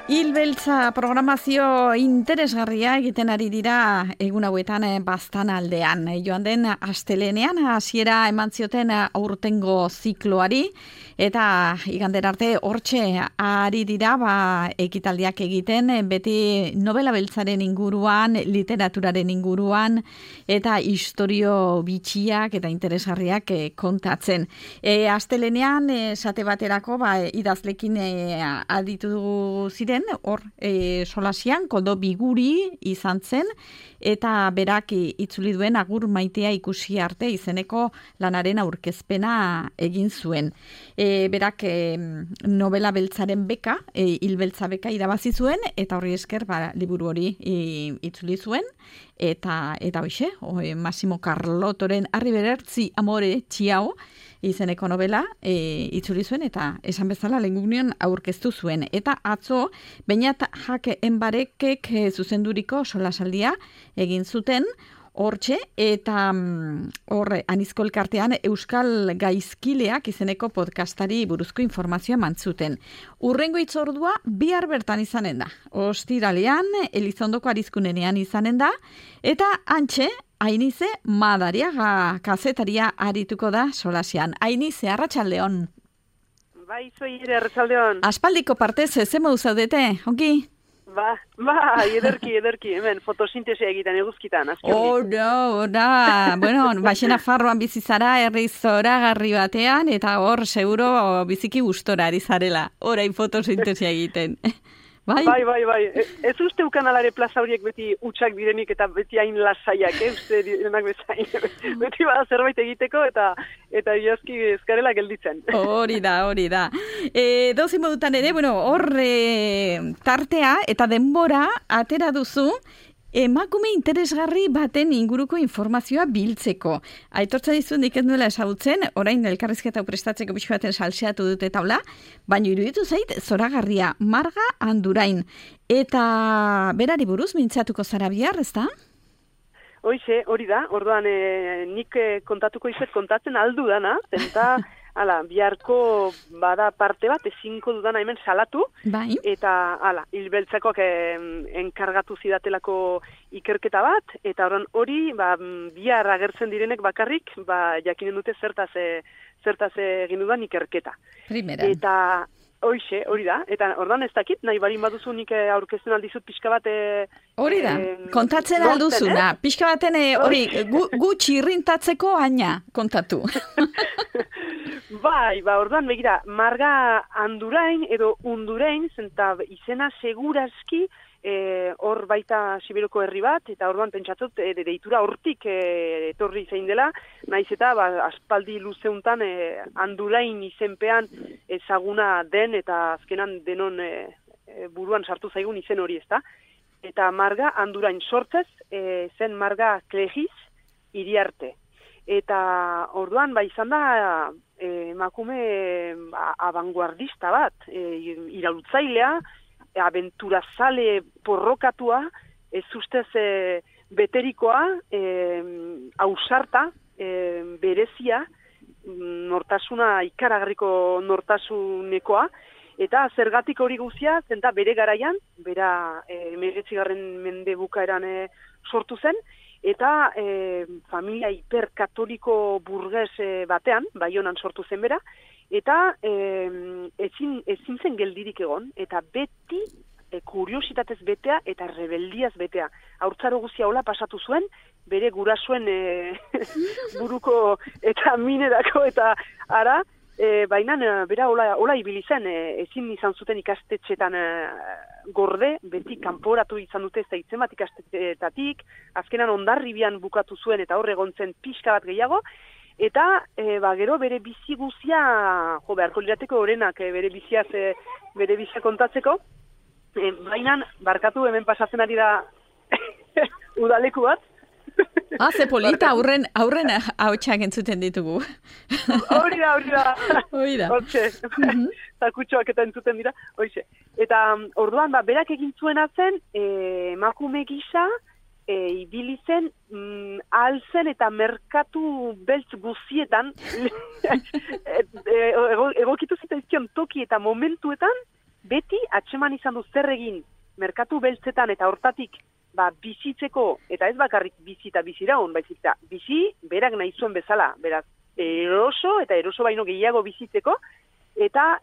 Hilbeltza programazio interesgarria egiten ari dira egun hauetan Baztan aldean. Joan den astelehenean hasiera eman zioten aurtengo zikloari eta igandera arte hortxe ari dira ekitaldiak egiten beti novela beltzaren inguruan, literaturaren inguruan eta istorio bitxiak eta interesgarriak kontatzen. Astelehenean esate baterako idazlekin aditu ziren hor solasian Koldo Biguri izan zen eta berak itzuli duen Agur maitea ikusi arte izeneko lanaren aurkezpena egin zuen. Berak novela beltzaren beka, hilbeltza beka irabazi zuen eta horri esker liburu hori itzuli zuen eta hoxe, Massimo Carlottoren Harri berertzi amore txiau izeneko novela itzuli zuen eta esan bezala lehengunean aurkeztu zuen. Eta atzo, Beñat Jake Enbarekek zuzenduriko solasaldia egin zuten hortxe eta Anizko elkartean Euskal Gaizkileak izeneko podcastari buruzko informazioa mantzuten. Urrengo hitzordua bihar bertan izanen da. Ostiralean, Elizondoko Arizkunenean izanen da eta antxe, Ainize Madariaga kazetaria arituko da solasian. Ainize, arratsaldeon. Bai, zoi ere, arratsaldeon. Aspaldiko partez, ze modu zaudete, ongi? Ederki, hemen, fotosintesia egiten eguzkitan, azken. Bueno, baxena farroan bizizara, herri zoragarri batean, eta hor, seguro, biziki gustora ari zarela, orain fotosintesia egiten. Bai? Ez uste ukanalare plaza horiek beti utxak direnik eta beti hain lasaiak, uste direnak bezain. Beti bada zerbait egiteko eta iazki ezkarela gelditzen. Hori da. Dozi modutan ere, hor tartea eta denbora atera duzu, emakume interesgarri baten inguruko informazioa biltzeko. Aitortza dizun nik ez nuela ezagutzen, orain elkarrizketa prestatzeko pixko baten salseatu dute taula, baina iruditu zait zoragarria Marga Andurain. Eta berari buruz mintzatuko zara bihar, ezta? Hoize, hori da, orduan nik kontatuko izet kontatzen aldu dana, zenta biharko bada parte bat, ezinko dudana hemen salatu, bai. Eta hilbeltzakoak enkargatu zidatelako ikerketa bat, eta hori bihar agertzen direnek bakarrik, jakinen dute zertaz egin dudan ikerketa. Primeran. Eta hoize, hori da, eta ordan ez dakit, nahi barin baduzu nik aurkezten aldizut pixka bat... Hori da, kontatzen alduzuna, pixka baten hori gutxi irrintatzeko aina kontatu. Orduan, begira, Marga Andurain edo Undurain, zenta izena segurazki hor baita Sibiroko herri bat, eta orduan pentsatzot deitura hortik etorri zein dela, naiz eta aspaldi luzeuntan Andurain izenpean ezaguna den, eta azkenan denon buruan sartu zaigun izen hori, ezta? Eta Marga Andurain sortzez, zen Marga Klejiz Iriarte. Eta orduan, izan da emakume abanguardista bat, iraultzailea, abenturazale porrokatua, ez ustez beterikoa, ausarta, berezia, nortasuna ikaragarriko nortasunekoa, eta zergatik hori guzia, zenta bere garaian, bera 19. mende bukaeran sortu zen, eta familia hiperkatoliko burges batean, Baionan sortu zen bera, eta ezin zen geldirik egon, eta beti kuriositatez betea eta rebeldiaz betea. Haurtzaro guzia hola pasatu zuen, bere gurasoen buruko eta minerako eta ara, baina bera hola ibili zen, ezin izan zuten ikastetxetan gorde, beti kanporatu izan dute zaitzen bat ikastetxetatik, azkenan Hondarribian bukatu zuen eta hor egon zen pixka bat gehiago, eta gero bere bizi guzia, beharko lirateko orenak bere bizia kontatzeko, baina barkatu hemen pasatzen ari da udaleku bat. Ze polita, aurren hautsak entzuten ditugu. Hori da. Hortxe, zakutxoak eta entzuten dira. Hoize. Eta orduan, berak egin zuena zen, emakume gisa, ibili zen alzen eta merkatu beltz guzietan egokitu zitaizkion toki eta momentuetan beti atxeman izan du zer egin merkatu beltzetan eta hortatik bizitzeko, eta ez bakarrik bizi eta biziraun, baizik eta bizi berak nahi zuen bezala, beraz, eroso eta eroso baino gehiago bizitzeko, eta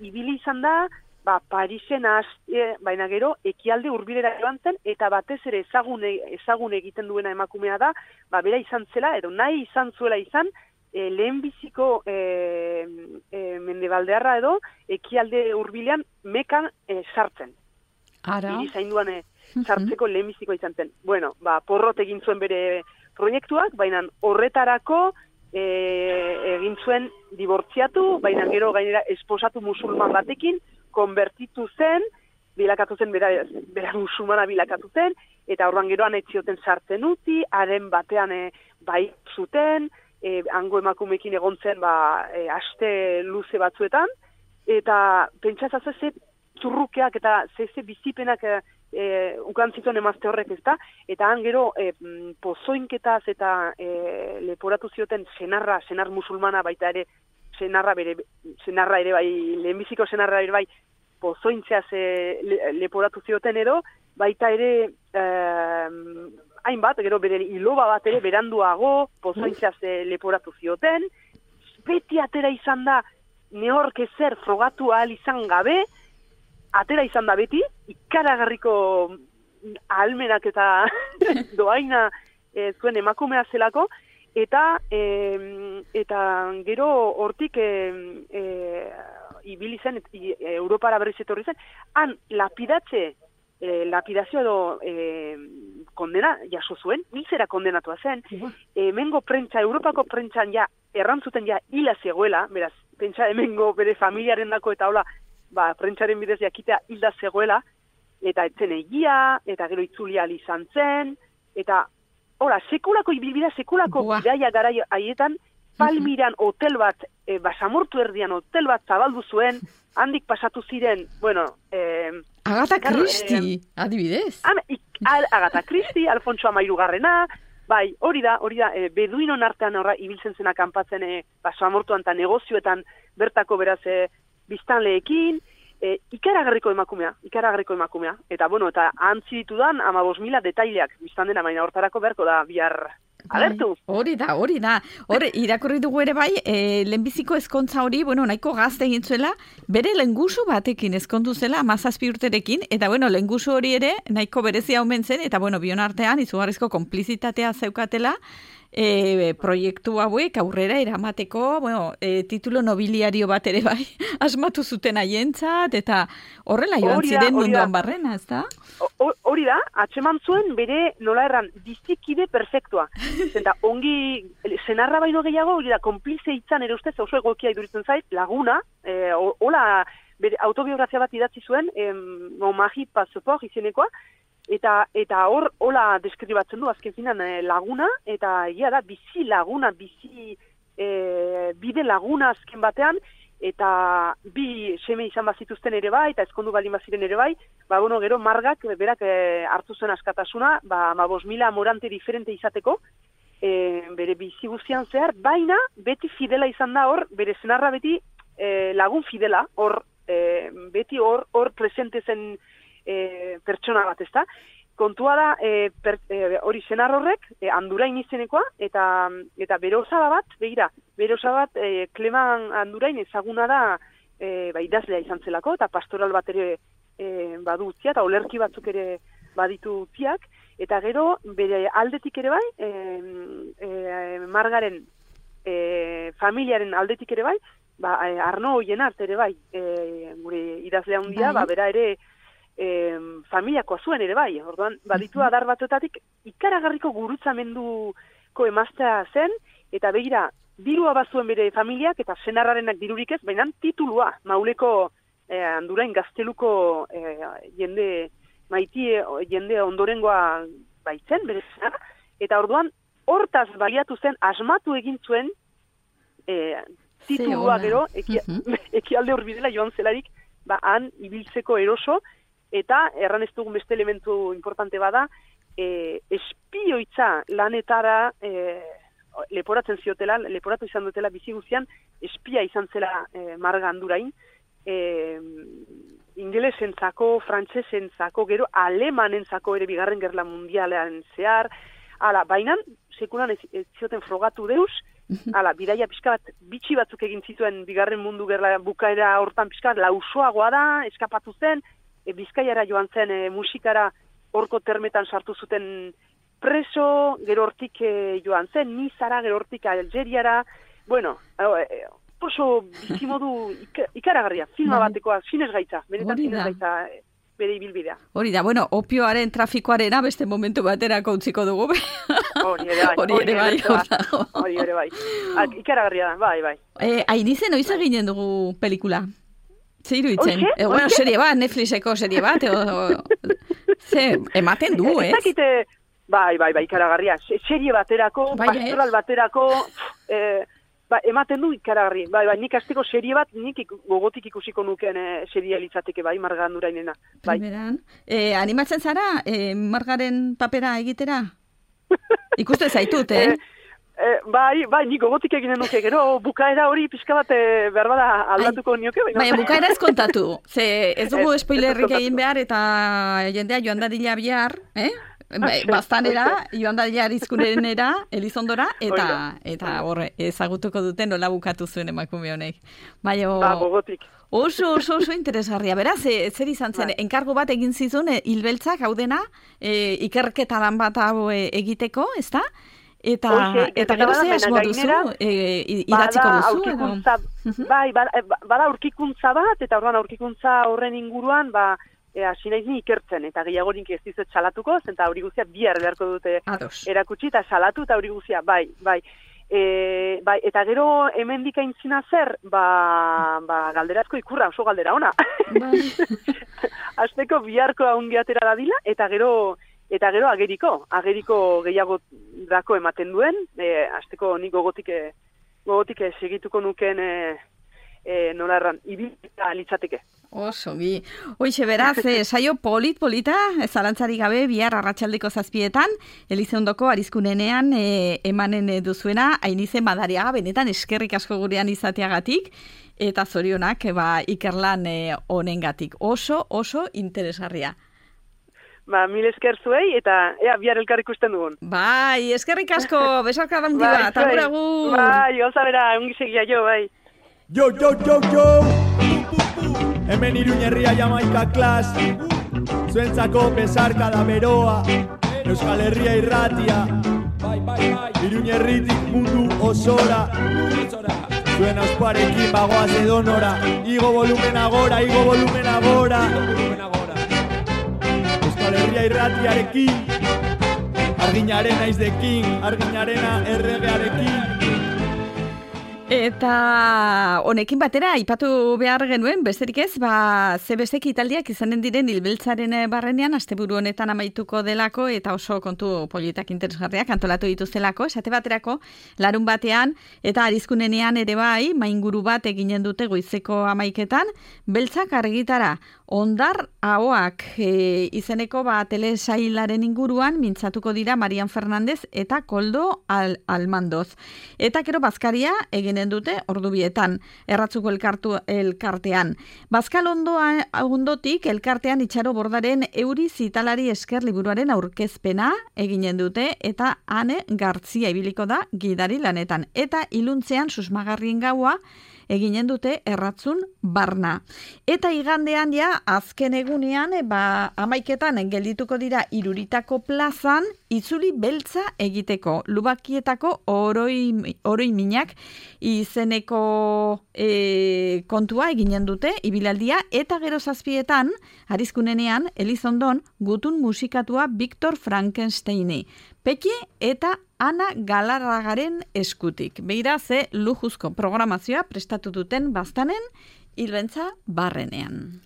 ibili izan da, Parisen baina gero ekialde hurbilera joan zen, eta batez ere ezagun egiten duena emakumea da, bera izan zela, edo nahi izan zuela izan, lehenbiziko mendebaldearra edo ekialde hurbilean mekan sartzen. Ara? Iri zainduan sartzeko lehenbizikoa izan zen. Bueno, porrot egin zuen bere proiektuak, baina horretarako egin zuen dibortziatu, baina gero gainera esposatu musulman batekin, konbertitu zen, bilakatu zen, bera musulmana bilakatu zen, eta orduan geroan etzioten sartzen utzi, haren batean bai zuten, hango emakumekin egon zen aste luze batzuetan, eta pentsatza ze zurrukeak eta ze bizipenak ukan zituen emazte horrek ezta, eta han gero pozoinketaz eta leporatu zioten senar musulmana baita ere, senarra ere bai, lehenbiziko senarra ere bai, pozointzeaz leporatu zioten edo, baita ere hainbat, gero bere iloba bat ere beranduago, pozointzeaz leporatu zioten, beti atera izan da, nehork ezer frogatu ahal izan gabe, atera izan da beti, ikaragarriko ahalmenak eta doaina zuen emakumea zelako, eta gero hortik ibili zen, Europara berriz etorri zen, han lapidazio edo kondena jaso zuen, hiltzera kondenatua zen, hemengo prentsa, Europako prentsan errantzuten hila zegoela, beraz, pentsa hemengo bere familiaren dako eta hola, prentsaren bidez jakitea hilda zegoela, eta etzen egia, eta gero itzulia izan zen, eta hola, sekulako ibilbida, sekulako bidaia gara haietan, Palmiran hotel bat, basamortu erdian hotel bat zabaldu zuen, handik pasatu ziren, bueno... Agatha Christie, adibidez. Agatha Christie, Alfonso Amairugarrena, bai, hori da, beduinon artean ibiltzen zena kanpatzen basamortuan eta negozioetan bertako beraz biztanleekin, ikaragarriko emakumea. Eta, bueno, eta antzi ditudan 15.000 detaileak biztan dena, baina hortarako beharko da bihar alertu. Hori da. Hore, irakurri dugu ere bai, lehenbiziko ezkontza hori, bueno, nahiko gazte egin zuela, bere lehengusu batekin ezkondu zela, 17 urterekin, eta, bueno, lehengusu hori ere, nahiko berezia omen zen, eta, bueno, bion artean, izugarrizko konplizitatea zeukatela, proiektu hauek aurrera eramateko, bueno, titulo nobiliario bat ere bai, asmatu zuten haientzat, eta horrela joan ziren munduan barrena, ez da? Hori da, atxeman zuen bere nola erran bizikide perfektua. Zenta, ongi, senarra baino gehiago, hori da, konplize hitzan ere ustez, oso egokia iduritzen zait, laguna, hola, bere autobiografia bat idatzi zuen, Magi Pasopor izenekoa, eta hor, hola deskribatzen du, azken finan laguna, eta egia da, bizi laguna, bide laguna azken batean, eta bi seme izan bazituzten ere bai, eta ezkondu baldin baziren ere bai, bueno, gero margak, berak hartu zuen askatasuna, 15.000 morante diferente izateko, bere bizi guztian zehar, baina beti fidela izan da hor, bere senarra beti lagun fidela, hor beti hor presente zen pertsona bat, ezta? Kontua da, hori senar horrek, Andurain izenekoa, eta bere osaba bat, begira, bere osaba bat, Kleman Andurain ezaguna da, idazlea izan zelako, eta pastoral bat ere badu utzia, eta olerki batzuk ere baditu utziak, eta gero, bere aldetik ere bai, Margaren familiaren aldetik ere bai, Arno Oienart ere bai, gure idazlea hundia, bera ere, familiakoa zuen ere bai, orduan, baditu adar batuetatik ikaragarriko gurutzamenduko emaztea zen, eta begira, dirua bazuen bere familiak, eta senarrarenak dirurik ez, baina titulua, Mauleko Andurain gazteluko jende ondorengoa baitzen, bere senarra, eta orduan, hortaz baliatu zen, asmatu egin zuen titulua gero, ekialde horbidela joan zelarik, han ibiltzeko eroso, eta erran ez dugun beste elementu importante bada, espioitza lanetara leporatu izan dutela bizi guztian, espia izan zela Marga Andurain, ingelesentzako, frantsesentzako, gero alemanentzako ere bigarren gerla mundialean zehar, baina sekulan ez zioten frogatu deuz, bidaia pixka bat, bitxi batzuk egin zituen bigarren mundu gerla bukaera hortan pixka bat, lausoagoa da, eskapatu zen, Bizkaiara joan zen musikara horko termetan sartu zuten preso, gero hortik joan zen, Nizara, gero hortik Algeriara, bueno, oso bizimodu ikaragarria, filma batekoa, sinesgaitza, benetan sinesgaitza bere ibilbidea. Hori da, bueno, opioaren trafikoarena beste momentu baterako utziko dugu. Hori ere bai. Ikaragarria da, bai. Ainizen, oiz eginen dugu pelikula? Ze iruditzen? Bueno, serie bat, Netflixeko serie bat, ematen du, ez? Bai, ikaragarria. Serie baterako, pastoral baterako, ematen du ikaragarri. Bai, nik azteko serie bat, nik gogotik ikusiko nuken serie litzateke, bai, Marga Andurainena. Primeran. Animatzen zara, Margaren papera egitera? Ikuste zaitut, Bai, nik gogotik eginen nuke, gero bukaera hori pixka bat behar bada aldatuko nioke. Baina bukaera ez kontatu, ez dugu spoilerrik egin behar eta jendea joan dadila bihar, bastanera, joan dadila arizkunenera, Elizondora, eta horre, ezagutuko duten nola bukatu zuen emakume honek. Gogotik. Oso interesgarria. Beraz, zer izan zen, enkargo bat egin zizun, hilbeltzak hau dena, ikerketaran bat hau egiteko, ez da? Eta gero ze asmo duzu, idatziko duzu? Bai, bada aurkikuntza bat, eta orduan aurkikuntza horren inguruan, hasi naiz ni ikertzen, eta gehiagorik ez dizuet salatuko, zenta hori guztia bihar beharko dute erakutsi, eta salatu, eta hori guztia, bai. Eta gero hemendik aintzina zer, galderazko ikurra, oso galdera ona. Azteko biharko aungi atera dadila, eta gero ageriko gehiago dako ematen duen, azteko nik gogotik segituko nuken nola erran, ibilita litzateke. Oso, Hoixe beraz, saio polita, zalantzari gabe, bihar arratsaldeko 7:00, Elizondoko arizkunenean emanen duzuena, Ainize Madariaga, benetan eskerrik asko gurean izateagatik, eta zorionak ikerlan honengatik. Oso interesgarria. Mil esker zuei, eta bihar elkar ikusten dugun. Bai, eskerrik asko, besarka handi bat, agur. Bai, gauza bera, ongi segia jo, bai. Jo! Hemen Iruñerria Jamaika klas, zuentzako besarka da beroa, Euskal Herria irratia, Iruñerritik mundu osora, zuen auspuarekin bagoaz edonora, igo volumena gora, Euskal Herria irratiarekin, arginaren naizdekin, arginarena erregearekin. Eta honekin batera, aipatu behar genuen, besterik ez, zebesteki italdiak izanen diren hilbeltzaren barrenean, asteburu honetan amaituko delako, eta oso kontu politak interesgarriak antolatu dituztelako, esate baterako, larun batean, eta arizkunenean ere bai, mainguru bat eginen dute goizeko 11:00, beltzak argitara, ondar ahoak izeneko telesailaren inguruan, mintzatuko dira Marian Fernandez eta Koldo Almandoz. Eta gero bazkaria eginen dute ordubietan, erratzuko elkartean. Bazkal ondotik elkartean Itxaro Bordaren Euri Zitalari esker liburuaren aurkezpena eginen dute, eta Ane Gartzia ibiliko da gidari lanetan. Eta iluntzean susmagarrien gaua eginen dute erratzun barna. Eta igandean azken egunean, 11:00 geldituko dira Iruritako plazan, itzuli beltza egiteko. Lubakietako oroiminak izeneko kontua eginen dute, ibilaldia, eta gero 7:00 arizkunenean, Elizondon, gutun musikatua Victor Frankensteini. Peki eta Ana Galarragaren eskutik. Beira ze lujuzko programazioa prestatu duten Baztanen hilbeltza barrenean.